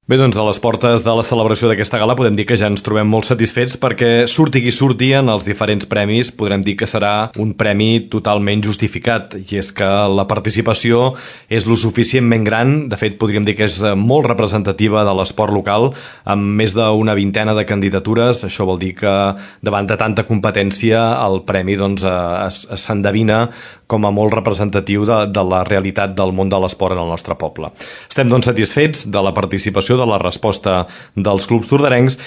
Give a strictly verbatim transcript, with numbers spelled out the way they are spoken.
Bé, doncs a les portes de la celebració d'aquesta gala podem dir que ja ens trobem molt satisfets perquè surti qui surti en els diferents premis podrem dir que serà un premi totalment justificat, i és que la participació és lo suficientment gran, de fet podríem dir que és molt representativa de l'esport local, amb més d'una vintena de candidatures. Això vol dir que davant de tanta competència el premi doncs, s'endevina com a molt representatiu de, de la realitat del món de l'esport en el nostre poble. Estem doncs satisfets de la participació, de la resposta dels clubs tordarencs.